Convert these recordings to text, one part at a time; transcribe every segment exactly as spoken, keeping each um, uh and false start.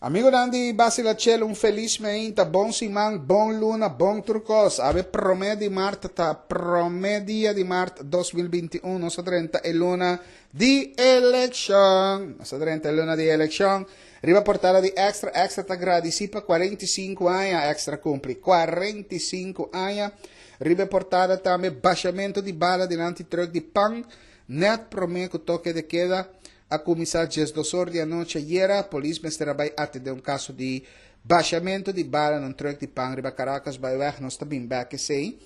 Amigonan di Basila Chelo, un felis mainta, bon siman, bon luna, bon tur kos. Awe promé di mart, ta promé dia di mart dos mil binti un, nos a drenta e luna di elekshon. Nos a drenta e luna di elekshon. Riba portada di Extra, Extra ta gradisí pa kuarenta i sinku aña, Extra a kumpli kuarenta i sinku aña. Riba portada tambe bashamentu di bala dilanti trùk di pan, nèt promé ku toke de keda a kuminsá diesdos or di anochi ayera. Polis mester a bai atendé un kaso di bashamentu di bala den trùk di pan riba Caracasbaaiweg. Nos ta bin bèk esei.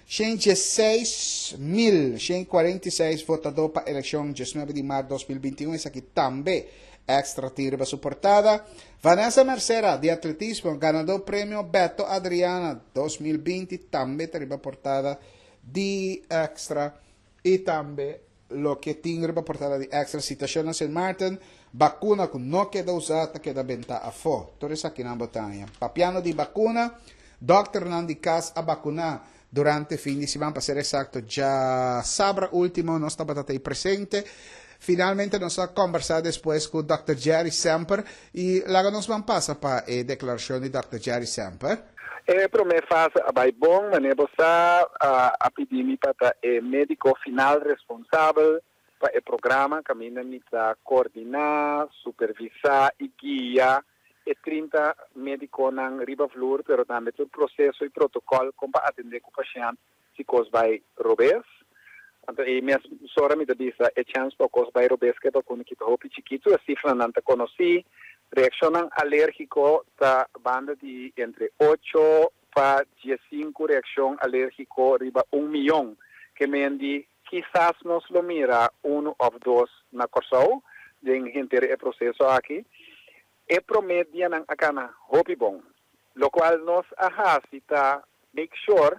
shen diesseis mil, shen kuarenta i seis votadó pa elekshon diesnuebe di mart dos mil binti un. Esaki tambe Extra tin riba su portada. Vanessa Mercera di atletismo, ganadó premio Beto Adriana dos mil binti, tambe riba portada di Extra. I tambe loke tin riba portada di Extra: situashon na Saint Martin, vakuna ku no keda usá ta keda bentá afó. Tur esaki nan bo ta haña. Papiando di vakuna, dòkternan di kas a vakuná durante fin di siman, pa ser eksakto, djasabra último nos tabata presente. Finalmente nos a kombersá despues ku Dòkter Jerry Semper i laga nos ban pasa pa e deklarashon di Dòkter Jerry Semper. E promé fase a bai bon, manera bo sa a, a pidi mi pa ta e médiko final responsabel pa e programa, kaminda mi ta koordiná, supervisá i guia e trinta médikonan riba vloer, pero tambe tur proseso i protokòl kon pa atendé ku pashènt si kos bai robes. Anto, e mesora mi ta bisa, e chèns pa kos bai robes ku vakuna aki ta hopi chikitu, e sifranan ta konosí. Reakshon alérgiko ta banda di entre ocho pa diesinku reakshon alérgiko riba un mion. Ke men di kisas nos lo mira un òf dos na Kòrsou den henter e proseso aki. E promé dianan a kana hopi bon. Lokual nos a hasi ta make sure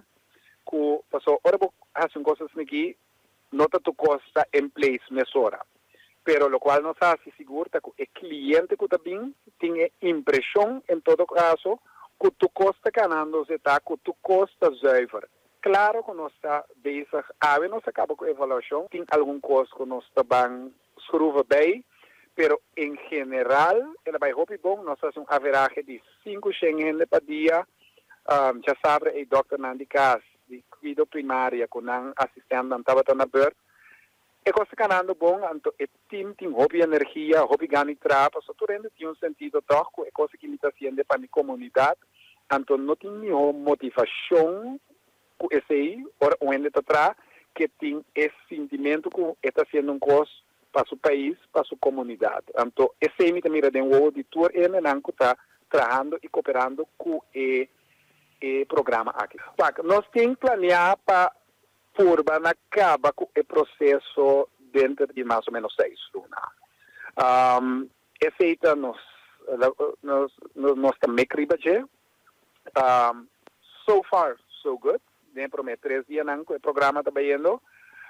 ku pasó ora bo hasi un kos aki, no ta tur kos ta in place mesora. Pero lokual nos a hasi sigur ta ku e kliente ku ta bin tin e impreshon en todo kaso ku tur kos ta kanando, ta ku tur kos ta zuiver. Klaro ku nos ta bezig, awe nos a kaba ku evaluashon, tin algun kos ku nos ta ban schroeven bij, pero en general, el a bai hopi bon. Nos a hasi un average di sinku hende pa dia, um, djasabra e dòkternan di kas, di kuido primario, ku nan asistente tabata na beurt. E kos ta kanando bon, anto e team tin hopi energia, hopi gana di traha, so tur hende tin un sentido toch, ku e kos ku mi ta hasiendo pa mi komunidat, anto no tin ningun motivashon ku esei, ora un hende ta traha, ku tin e sentimentu ku e ta hasiendo un kos pa su pais, pa su komunidat. Anto, esei mi ta mira den wowo di tur hendenan ku ta trahando i kooperando ku e e programa aki. Pak, nos tin planeá pa purba na kaba ku e proseso den di mas o ménos seis luna. Um, esei ta nos nos nos ta mek riba dje. Um, so far so good. Den promé tres dianan ku e programa ta bayendo,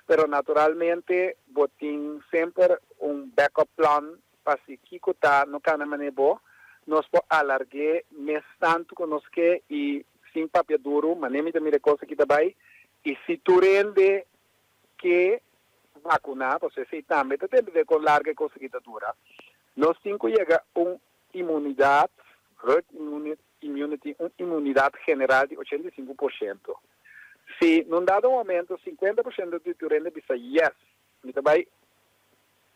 pero naturalmente bo tin semper un backup plan pa si kiko ta no kana manera bo, nos por alarg'é mes tantu ku nos ke i sin papia duru, manera mi ta mira kos aki ta bai, i si tur hende ke vakuná, bo si tambe ta dependé kon largu kos aki ta dura. Nos tin ku yega un inmunidat, herd immunity, un inmunidat general di ochenta i sinku porshento. Si num dado momento sinkuenta porshento di tur hende bisa yes, mi ta bai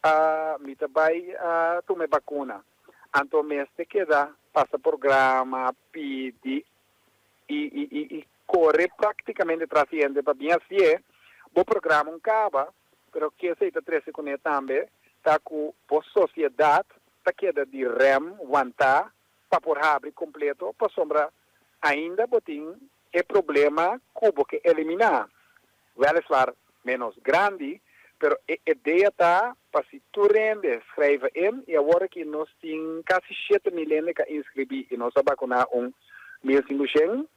uh, mi ta bai uh, tuma vakuna. Anto mester keda pasa programa, pidi i, i, i, i kore práktikamente tras di hende pa bin hasi, bo programa a kaba, pero ku esei ta trese kuné tambe, ta ku e sosiedat ta keda di rem wantá pa por habri kompleto, pasombra ainda bo tin e problema ku bo ke eliminá. Weliswaar ménos grandi, pero e idea ta pa si tur hende schrijven in i awor ku nos tin kasi shete mil hende ku inskribí i nos a vakuná un mil sinkushentos,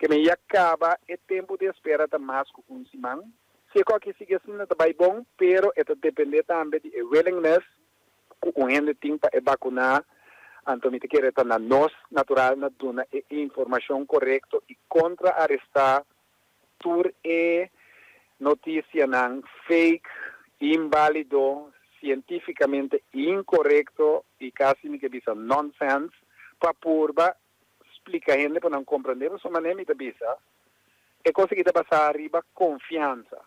ke men ya kaba e tempu di espera ta mas ku un siman. Si kos sigui asina, ta bai bon, pero e ta dependé tambe di willingness ku un hende tin pa vakuná. Anto mi ta kere ta na nos natural na duna e informashon korekto i kontrarestá tur e notisianan fake, inválido, sientífikamente inkorekto i kasi mi ke bisa nonsense. Pa purba splika hende pa nan komprondé, so manera mi ta bisa, e kos aki ta basá riba konfiansa.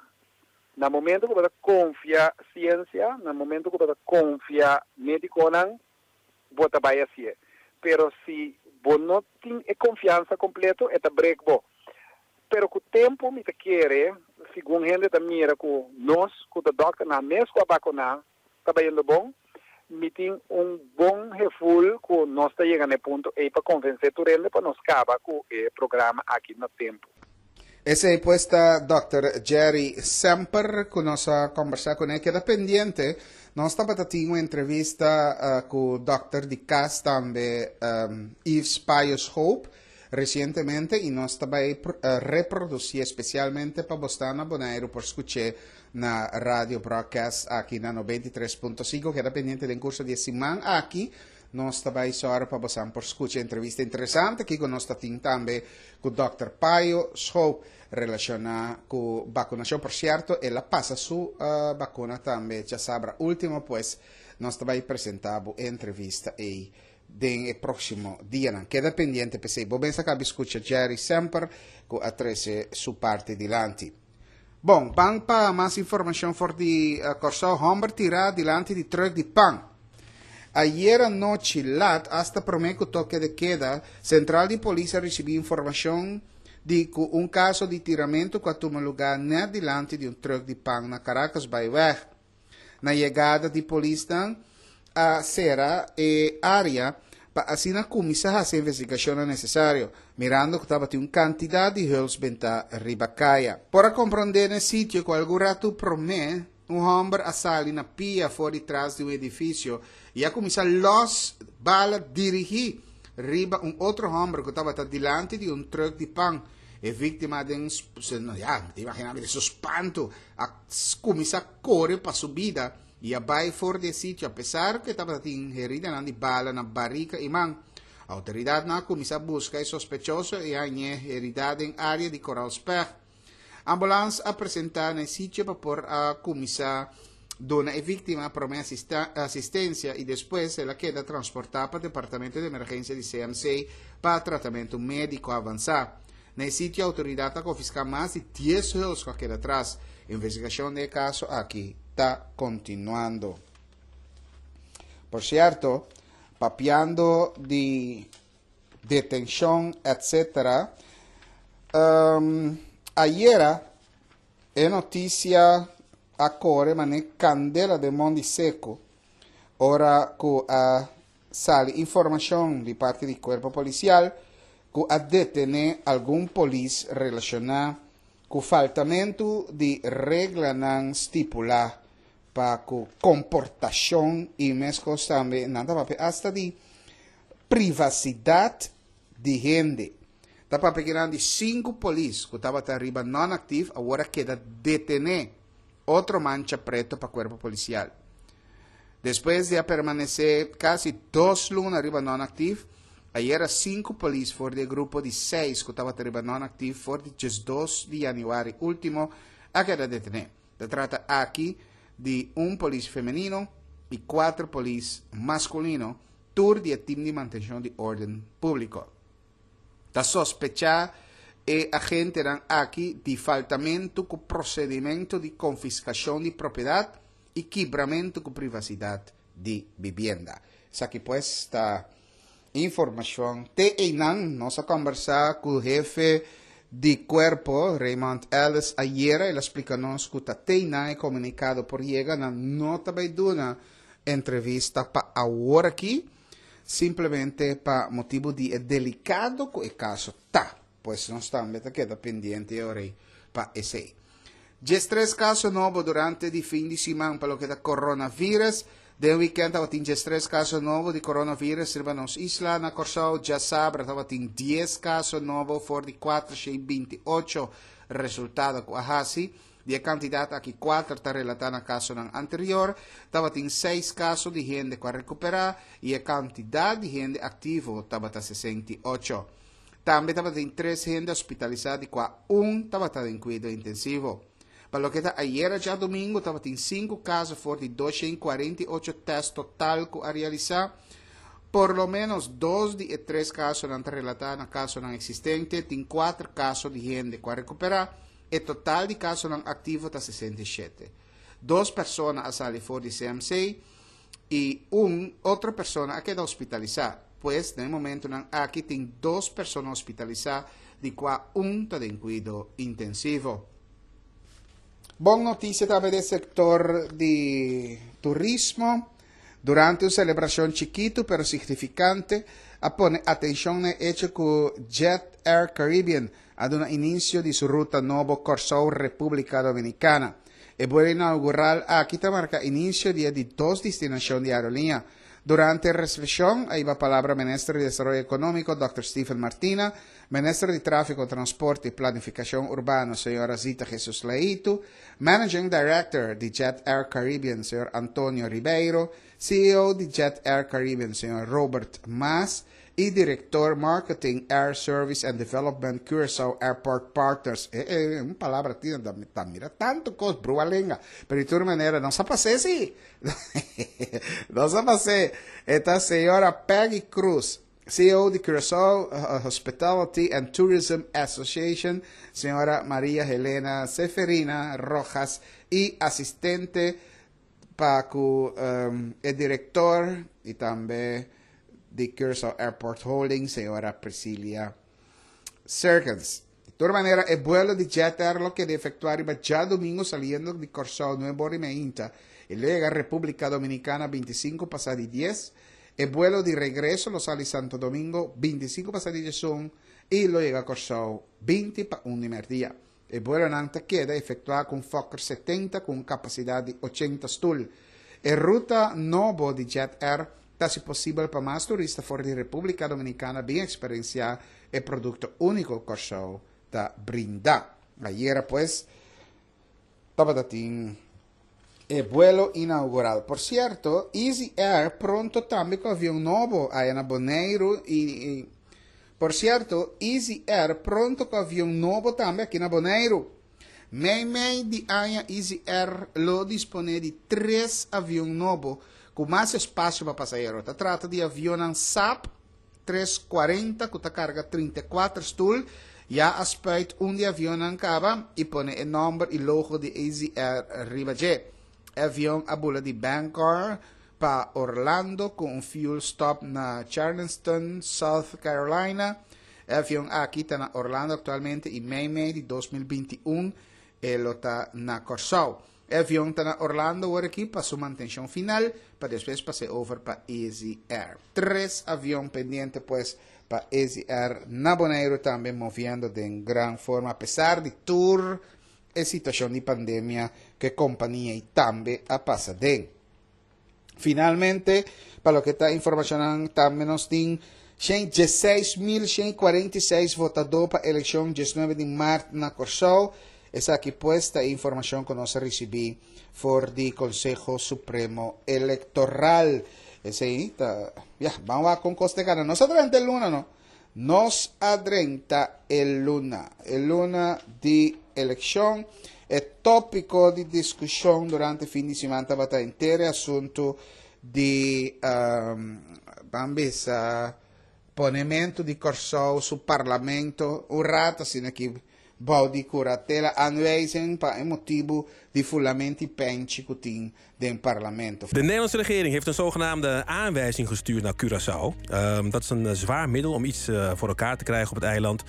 Na momento ku bo konfia siensia, na momento ku bo konfia médikonan, bo ta bai asina. Pero si bo no tin e konfiansa kompleto, e ta break bo. Pero ku tempu mi ta kere, segun hende ta mira ku nos, ku e dòkternan mes ku a vakuná, ta bayendo bon, mi tin un bon gevoel ku nos ta yegando na e punto ei pa konvensé tur hende pa nos kaba ku e programa aki na tempu. Esei pues ta Dòkter Jerry Semper ku nos a kombersá kuné. Keda pendiente. Nos tabatin un entrevista uh, ku dòkter di kas tambe, um, Yves Pius Hope, resientemente i nos ta bai uh, reprodusí spesialmente pa boso na Boneiru por skucha na radio broadcast aki na nobenta i tres punto sinku. Keda pendiente, den kurso di siman aki nos ta bai sòru pa boso por skucha entrevista interesante aki ku nos tin tambe ku Dòkter Payo Schoop relashoná ku vakunashon. Por sierto, el a pasa su uh, vakuna tambe djasabra último, pues nos ta bai presentá e entrevista ei den e próksimo dianan. Keda pendiente, p'esei. Bo mes a kaba skucha Jerry Semper ku a trese su parti dilanti. Bon, ban pa mas informashon for di uh, Kòrsou. Hòmber tirá dilanti di trùk di pan. Ayera nochi lat, hasta promé ku toke de keda, sentral di polis a risibí informashon di ku un kaso di tiramentu ku a tuma lugá net dilanti di un trùk di pan na Caracasbaaiweg. Na yegada di polis a sera e área pa asina kuminsá hasi investigashon nesesario, mirando ku tabatin un kantidat di huls bentá riba kaya. Por a komprondé na sitio ku algun ratu promé, un hòmber a sali na pia for di tras di un edifisio i a kuminsá los bala dirigí riba un otro hòmber ku tabata dilanti di un trùk di pan. E víktima den, ya, imaginá su spantu, a kuminsá kore pa su bida i a bai for di sitio, apesar ku tabatin herida di bala na barika i man. Outoridatnan a kuminsá buska e sospechoso i a hañ'é heridá den área di Coral Spec. Ambulans a presentá na sitio pa por a kuminsá duna e víktima promé asistensia i despues el a keda transportá pa departamento di emergensia di C M C pa tratamentu médiko avansá. Na sitio outoridat a konfiská mas di dies huls ku a keda atras. Investigashon di e kaso aki ta kontinuando. Por sierto, papiando di detenshon, et cetera. Um, ayera e notisia a kore manera kandela den mondi seku, ora ku a sali informashon di parti di kuerpo polisial ku a detené algun polis relashoná ku faltamentu di reglanan stipulá pa ku komportashon i meskos tambe nan ta papia hasta di privasidat di hende. Ta papia di sinku polis ku tabata riba non-actief, awor a keda detené. Otro mancha pretu pa kuerpo polisial. Despues di a permanesé kasi dos luna riba non-actief, ayera sinku polis for di e grupo di seis ku tabata riba non-actief for di diesdos di yanüari último a keda detené. Ta trata aki di un polis femenino i kuater polis maskulino, tur di e tim di mantenshon di órden públiko. Ta sospechá e agentenan aki di faltamentu ku prosedimentu di konfiskashon di propiedat i kibramentu ku privasidat di bibienda. Esaki pues ta informashon. Te einan. Nos a kombersá ku hefe di kuerpo, Raymond Ellis, ayera. El a splika nos ku ta te einan e komunikado por yega, nan no ta bai duna entrevista pa awor aki, simplemente pa motibu di e delikado ku e kaso ta. Pues nos tambe ta keda pendiente ora pa esei. Diestres kaso nobo durante di fin di siman pa loke ta coronavirus. Den weekend tabatin diestres kaso nobo di coronavirus riba nos isla. Na Kòrsou, djasabra tabatin dies kaso nobo for di kuatershen binti ocho resultado ku a hasi. Di e kantidat aki, kuater ta relatá na kasonan anterior. Tabatin seis kaso di hende ku a rekuperá i e kantidat di hende aktivo tabata sesenta i ocho. Tambe tabatin tres hende hospitalisá, di kua un tabata den kuido intensivo. Pa loke ta ayera djadumingu, tabatin sinku kaso for di dosshen kuarenta i ocho tèst total ku a realisá. Por lo menos dos di e tres kasonan ta relatá na kasonan eksistente, tin kuater kaso di hende ku a rekuperá, e total di kasonan aktivo ta sesenta i shete. Dos persona a sali for di C M C i un otro persona a keda hospitalisá. Pues, na e momentonan aki tin dos persona hospitalisá, di kua un ta den kuido intensivo. Bon notisia tambe den sektor di turismo. Durante un selebrashon chikitu pero signifikante, a pone atenshon na echo ku Jet Air Caribbean a duna inisio di su ruta nobo Kòrsou Repúblika Dominikana. E vuelo inaugural aki ta marka inisio di di dos destinashon di aerolínea. Durante e resepshon, a hiba palabra Minister di Desaroyo Ekonómiko, Doctor Steven Martina, Minister di Tráfiko, Transporte i Planifikashon Urbano, señora Zita Jesus Leito, Managing Director di Jet Air Caribbean, señor Antonio Ribeiro, C E O di Jet Air Caribbean, señor Robert Maas, i Direktor Marketing Air Service and Development Curaçao Airport Partners. Eh, eh, un palabra tin, ta mira tantu kos, brua lenga. Pero di tur manera, nos a pasa sí. Nos a pasa. E ta señora Peggy Cruz, C E O di Curaçao uh, Hospitality and Tourism Association, señora Maria Helena Seferina Rojas i asistente pa um, e direktor i tambe di Curaçao Airport Holdings, señora Priscilla Serkens. Di tur manera, e vuelo di Jet Air lo keda efektuá djadumingu saliendo di Kòrsou nuebe or i mei i yega Repúblika Dominikana bintisinko pasá di dies. E vuelo di regreso lo sali Santo Domingo bintisinko pasá di diesun i lo yega Kòrsou binti pa un di mèrdia. E vuelonan ta keda efektuá ku Fokker setenta ku kapasidat di ochenta stul. E ruta nobo di Jet Air ta posibel pa mas turista for di Repúblika Dominikana bin eksperensiá e produkto úniko Kòrsou ta brinda. Ayera, pues, tabatin e vuelo inaugural. Por sierto, Easy Air pronto tambe ku avion nobo ei na Boneiru i, i por sierto, Easy Air pronto ku avion nobo tambe aki na Boneiru. Mei mei di aña Easy Air lo disponé di tres avion nobo ku mas espasio pa pasahero. Ta trata di avion Saab tresshent kuarenta ku ta karga trinta i kuater stul. Ya a spuit un di avion kaba i pone e nòmber i logo di Easy Air riba dje. Avion a bula di Bangor pa Orlando ku un fuel stop na Charleston, South Carolina. Avion aki ta na Orlando aktualmente i mei mei di dos mil binti un e ta na Kòrsou. Avion ta na Orlando awor aki pa su mantenshon final, pa despues pasa over pa Easy Air. Tres avion pendiente, pues, pa Easy Air na Boneiru tambe, moviendo di gran forma, apesar di tur e situashon di pandemia ku e kompania tambe a pasa den. Finalmente, pa loke ta informashon, tambe nos tin diesseis mil shen kuarenta i seis votadó pa elekshon diesnuebe di mart na Kòrsou. Esaki, pues, ta informashon ku nos a risibí for di Konseho Supremo Elektoral. Esei ta, ya, ban ku Costa Gana. Nos a drenta luna, no? Nos a drenta e luna. E luna di elekshon. E tópiko di diskushon durante fin di siman tabata henter asuntu di um, ban bisa, ponementu di Kòrsou su parlamento un ratu asina aki bou di kuratela, aanwijzing pa motibu di fulamentu di penchi ku tin den parlamento. De Nederlandse regering heeft een zogenaamde aanwijzing gestuurd naar Curaçao. Um, dat is een eh, zwaar middel om iets uh, voor elkaar te krijgen op het eiland.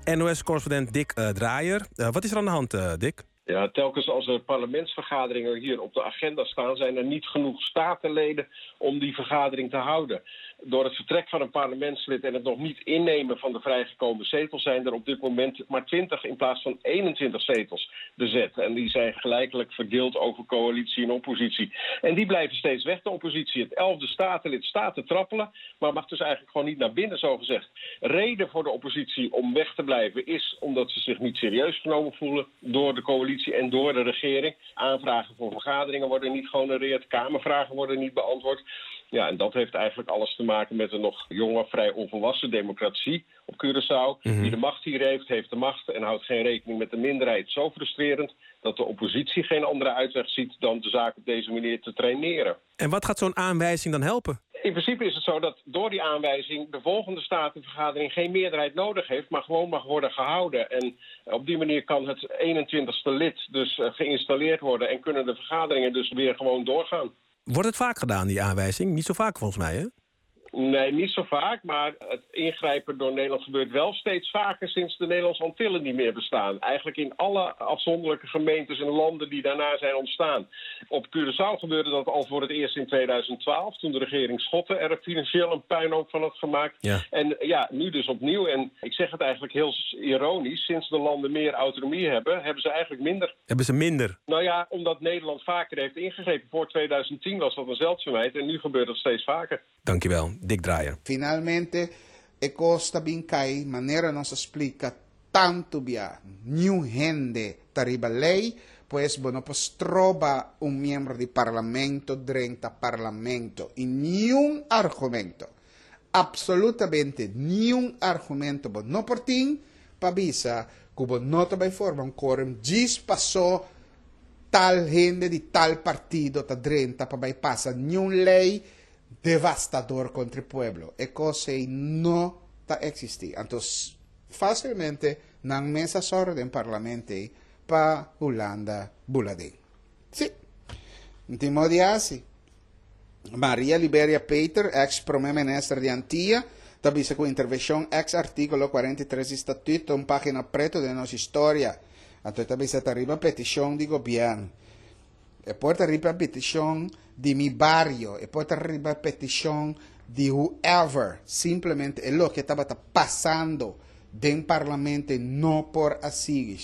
N O S-correspondent Dick uh, Draaier. Uh, wat is er aan de hand, Dick? Ja, telkens als er parlementsvergaderingen hier op de agenda staan, zijn er niet genoeg statenleden om die vergadering te houden. Door het vertrek van een parlementslid en het nog niet innemen van de vrijgekomen zetels zijn er op dit moment maar twintig in plaats van eenentwintig zetels bezet. En die zijn gelijkelijk verdeeld over coalitie en oppositie. En die blijven steeds weg, de oppositie. Het elfde statenlid staat te trappelen, maar mag dus eigenlijk gewoon niet naar binnen, zo gezegd. Reden voor de oppositie om weg te blijven is omdat ze zich niet serieus genomen voelen door de coalitie en door de regering. Aanvragen voor vergaderingen worden niet gehonoreerd, Kamervragen worden niet beantwoord. Ja, en dat heeft eigenlijk alles te maken met een nog jonge, vrij onvolwassen democratie op Curaçao. Mm -hmm. Wie de macht hier heeft, heeft de macht en houdt geen rekening met de minderheid. Zo frustrerend dat de oppositie geen andere uitweg ziet dan de zaak op deze manier te traineren. En wat gaat zo'n aanwijzing dan helpen? In principe is het zo dat door die aanwijzing de volgende statenvergadering geen meerderheid nodig heeft, maar gewoon mag worden gehouden. En op die manier kan het eenentwintigste lid dus geïnstalleerd worden en kunnen de vergaderingen dus weer gewoon doorgaan. Wordt het vaak gedaan, die aanwijzing? Niet zo vaak volgens mij, hè? Nee, niet zo vaak, maar het ingrijpen door Nederland gebeurt wel steeds vaker sinds de Nederlandse Antillen niet meer bestaan. Eigenlijk in alle afzonderlijke gemeentes en landen die daarna zijn ontstaan. Op Curaçao gebeurde dat al voor het eerst in tweeduizend twaalf, toen de regering Schotten er financieel een puinhoop van had gemaakt. Ja. En ja, nu dus opnieuw. En ik zeg het eigenlijk heel ironisch, sinds de landen meer autonomie hebben, hebben ze eigenlijk minder. Hebben ze minder? Nou ja, omdat Nederland vaker heeft ingegrepen. Voor tweeduizend tien was dat een zeldzaamheid en nu gebeurt dat steeds vaker. Dankjewel, Dick Draaier. Finalmente, e costa bincai, manera nos explica tanto bia, new hende tariba lei, pues bueno, pues trova un miembro di parlamento drenta parlamento. Y ni un argumento, absolutamente ni un argumento, bo no por tin, pa bisa, cubo no te forma un quórum, gis pasó tal gente di tal partido ta drenta pa bai pasa ni un lei devastador contra el pueblo. E cosa no ta existi. Entonces, fácilmente nan mesa sorda en parlamento pa Hulanda buladé. Sí. Timo di. Maria Liberia Peter, ex prome minister di Antia, tabisa con intervención ex artículo cuarenta y tres estatuto, un página preto de nuestra historia. Entonces, tabisa arriba petición di gobierno. E porta arriba petición di mi barrio, e porta arriba petición di whoever. Simplemente es lo que estaba pasando den parlamento no por así,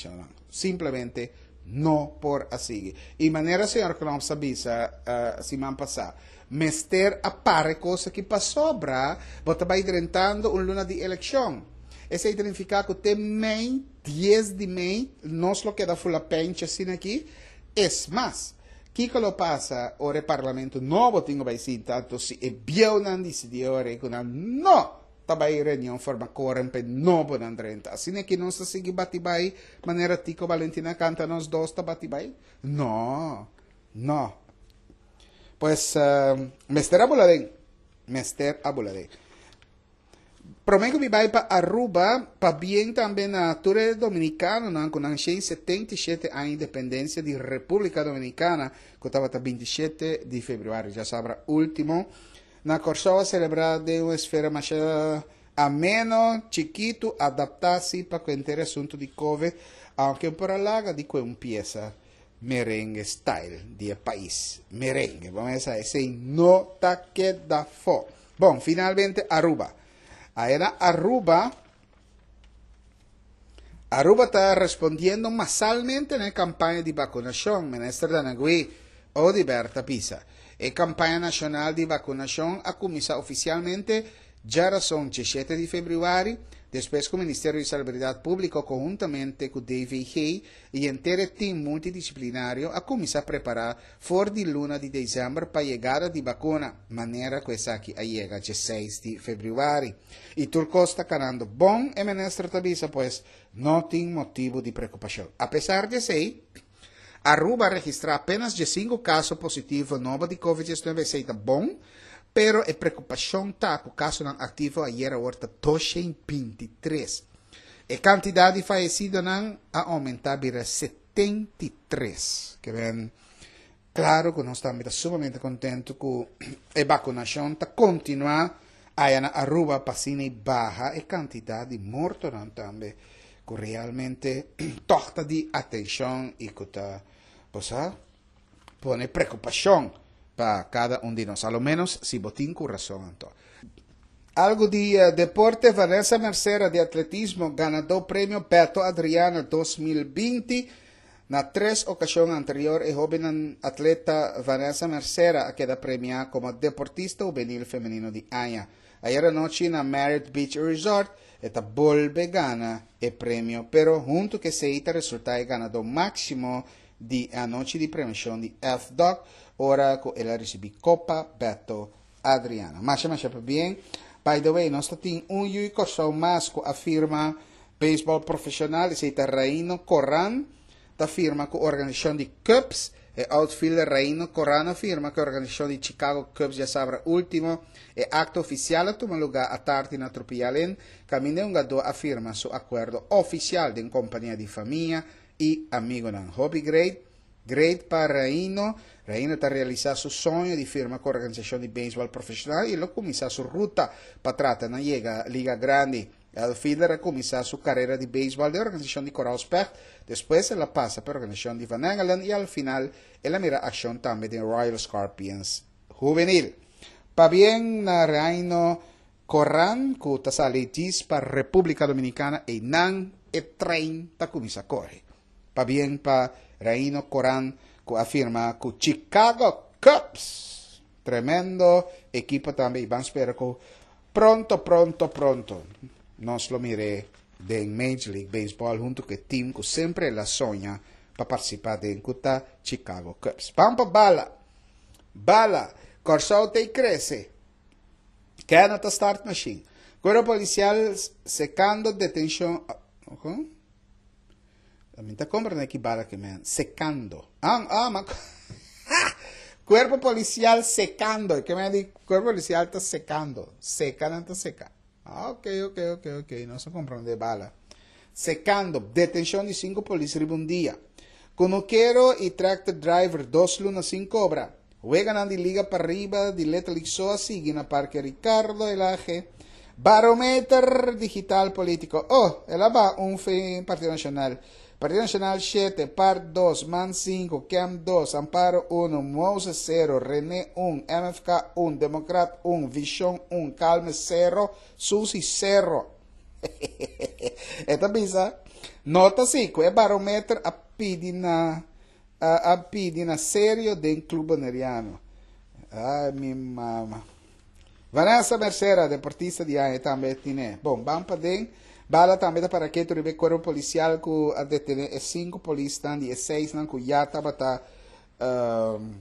simplemente no por así. Y manera señor Trump sabisa uh, semana pasada, mester apare cosa que pasó, bra, bota vai drentando un luna de elección. Ese identifica que te mei, diez de mei, nos lo queda fula pencha sin aquí. Es más, Kiko lo pasa, ora el parlamento nuovo tengo vai tanto si e bieu nan decidió ora que no tabay reunión forma quórum pe novo nan drenta. Así que no se sigue batibay manera Tico Valentina canta nos dos ta batibay. No, no. Pues uh, Mister Abuladén, Mister Abuladén. Prometo mi vai pa Aruba, pa bien también a Ture Dominicano, no, con setenta y siete años de independencia de República Dominicana, que estaba hasta veintisiete de febrero, ya sabrá, último. Na Corsova celebrar de una esfera más ameno, chiquito, adaptarse para cualquier asunto de COVID, aunque por la de que empieza merengue style de país. Merengue, vamos a decir, no ta queda fo. Bon, finalmente Aruba. Ahora Aruba, Aruba está respondiendo masalmente en la campaña de vacunación. Ministro Danagui, Odiberta Pisa. La campaña nacional de vacunación ha comenzado oficialmente ya razón diecisiete de febrero, después que el Ministerio de Salubridad Pública conjuntamente con D V G y entero team multidisciplinario ha comenzado a preparar for de luna de diciembre para llegada de vacuna, manera que esa aquí llega el dieciséis de febrero. Y Turco está ganando bon, el ministro avisa, pues no tiene motivo de preocupación. A pesar de eso, Aruba registra apenas cinco casos positivos nuevos de COVID diecinueve, está bon, pero a preocupación está con caso não ativo ayer ahorita doscientos veintitrés. A cantidad de fallecidos não ha aumentado para setenta y tres. Que ven, claro que nós estamos sumamente contentos com a vacunación está continua aí na Aruba pasina e baja a cantidad de mortos não também, que realmente toca de atención e que está, pues, ah, pone preocupación para cada un de nosotros, a lo menos si botín con razón. Entonces. Algo de uh, deporte, Vanessa Mercera de atletismo ganador premio Beto Adriano dos mil veinte. Na tres ocasiones anterior, el joven atleta Vanessa Mercera queda premiada como deportista juvenil femenino de año. Ayer anoche en la Marriott Beach Resort, esta volve gana el premio, pero junto que se resulta el ganador máximo de anoche de premiación de F D O C, ora que él recibe Copa Beto Adriano. Masha, masha, bien. By the way, nos tiene un yuico más que afirma béisbol profesional, se llama Reino Corán, ta firma con organización de Cubs E outfielder Raino Corán a firma ku e organisashon di Chicago Cubs djasabra último. E akto ofisial a tuma lugá atardi na Tropical Inn, kaminda e hungadó a firma su akuerdo ofisial den kompania di famia i amigunan. Hopi great, great pa Raino. Raino ta realisá su soño di firma ku organisashon di beisbòl profeshonal i lo kuminsá su ruta pa trata na yega Liga Grandi. E outfielder a kuminsá su karera di beisbòl den organisashon di Coral Specht, despues el a pasa pa organisashon di Van Engelen i al final el a mira akshon tambe den Royal Scorpions Juvenil. Pabien na Raino Corán ku ta sali djis pa Repúblika Dominikana einan e trein ta kuminsá kore. Pabien pa Raino Corán ku a firma ku Chicago Cubs. Tremendo ekipo tambe i ban spera ku pronto pronto pronto nos lo mir'é den Major League Baseball huntu ku e team ku semper el a soña pa partisipá den ku ta Chicago Cubs. Ban pa bala! Bala! Kòrsou ta i krese! Kenneth ta start machine. Kuerpo polisial sekando detenshon. Mi ta komprendé ki bala ke men. Sekando. Ah, ah, ma Kuerpo polisial sekando. Ke men di kuerpo polisial ta sekando. Seka nan ta seka. Ah, ok, ok, ok, ok. Nos a komprendé bala. Sekando. Detenshon di sinku polis riba un dia. Kunukero i tractor driver dos luna sin kobra. Weganan di Liga Pariba di Little League so a sigui na Parke Ricardo Elhage. Barometer digital politico. Oh, el a baha un fe Partido Nacional. Partido Nacional shete, par dos, man sinku, Kem dos, Amparo uno, Moses sero, Rene un, M F K un, Democrat un, Vision un, Calme sero, Susi sero. E ta bisa, nota si, ku e barometer a pidi na a, a pidi na serio den Club Boneriano. Ai, mi mama. Vanessa Mercera, deportista di aña tambe tin. Bon, ban paden. Bala tambe ta para ketu riba kuerpo polisial ku a detené e sinku polisnan di e seisnan ku ya tabata um,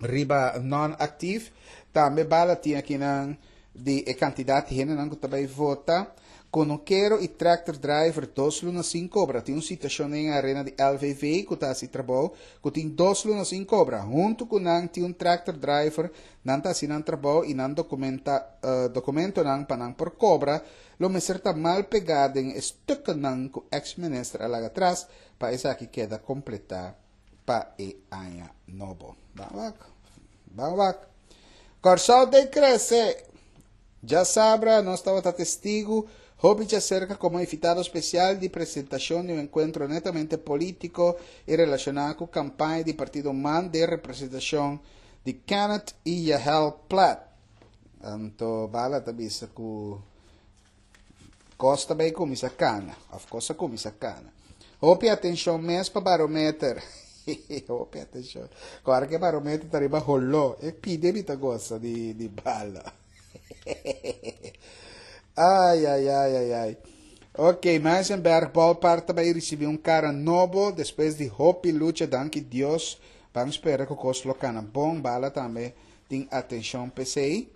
riba non-actief. Tambe bala tin akinan di e kantidat di hendenan ku ta bai vota. Kunukero i tractor driver dos luna sin kobra. Tin un situashon den arena di L V V ku ta hasi trabou, ku tin dos luna sin kobra. Huntu ku nan tin un tractor driver, nan ta hasi nan trabou i nan dokumenta, uh, dokumentonan pa nan por kobra, lo mester ta mal pegá den stuknan ku ex-minister a laga atras pa esaki keda kompletá pa e aña nobo. Ban wak. Ban wak. Kòrsou ta krese. Djasabra, nos tabata testigu, hopi serka komo invitado spesial di presentashon di un enkuentro netamente polítiko i relashoná ku kampaña di partido MAN di representashon di Kenneth i Yahel Plat. Anto, bala ta bisa ku kos ta bai kuminsá kana, of kos a kuminsá kana. Hopi atenshon mes pa barometer. Hopi atenshon. Klaro ku barometer ta riba holó. E pide mi ta gosta di, di bala. Ai, ai, ai, ai, ai. Ok, Muizenberg Ballpark ta bai risibí un kara nobo despues di hopi lucha, danki Dios. Ban spera ku kos lo kana bon, bala tambe tin atenshon P C I.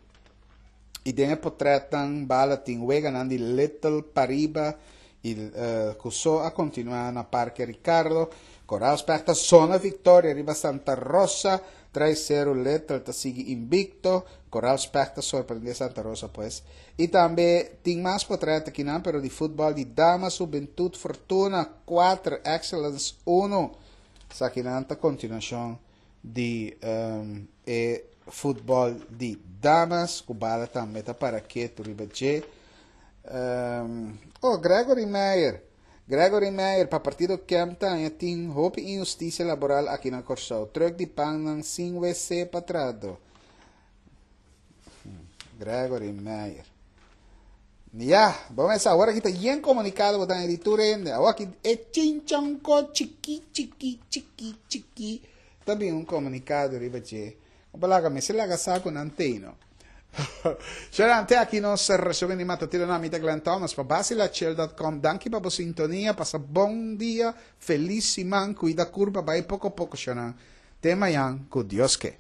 I den e portrètnan bala tin weganan di Little Pariba i uh, ku so a kontinuá na Parke Ricardo. Coral Specta zona victoria riba Santa Rosa tres sero. Little ta sigui invikto. Coral Specta sorprendé Santa Rosa pues. I tambe tin mas portrèt akinan, pero di futbòl di Damas, Juventud Fortuna kuater, Excellence un. Esakinan ta kontinuashon di um, e futbòl di Damas, ku bala tambe ta para ketu riba dje. Um, oh, Gregory Meyer. Gregory Meyer, pa partido Kemta, tin hopi inhustisia laboral aki na Kòrsou. Trùk di pan sin W C pa trahadó. Gregory Meyer. Ya, ban awor aki ta yen komunikado, botan editor ainda. Awor aki e chinchanko chiki chiki chiki chiki. Tambe un komunikado riba dje. Balaga me se laga saco nanteno. Sharon, te aki nos resumen di matutino na mi ta Glenn Thomas pa basilachel punto com. Danki pa e sintonia, pasa bon dia, felis siman, kuida kurpa, bai poko poko, Sharon. Te mañan, ku Dios ke.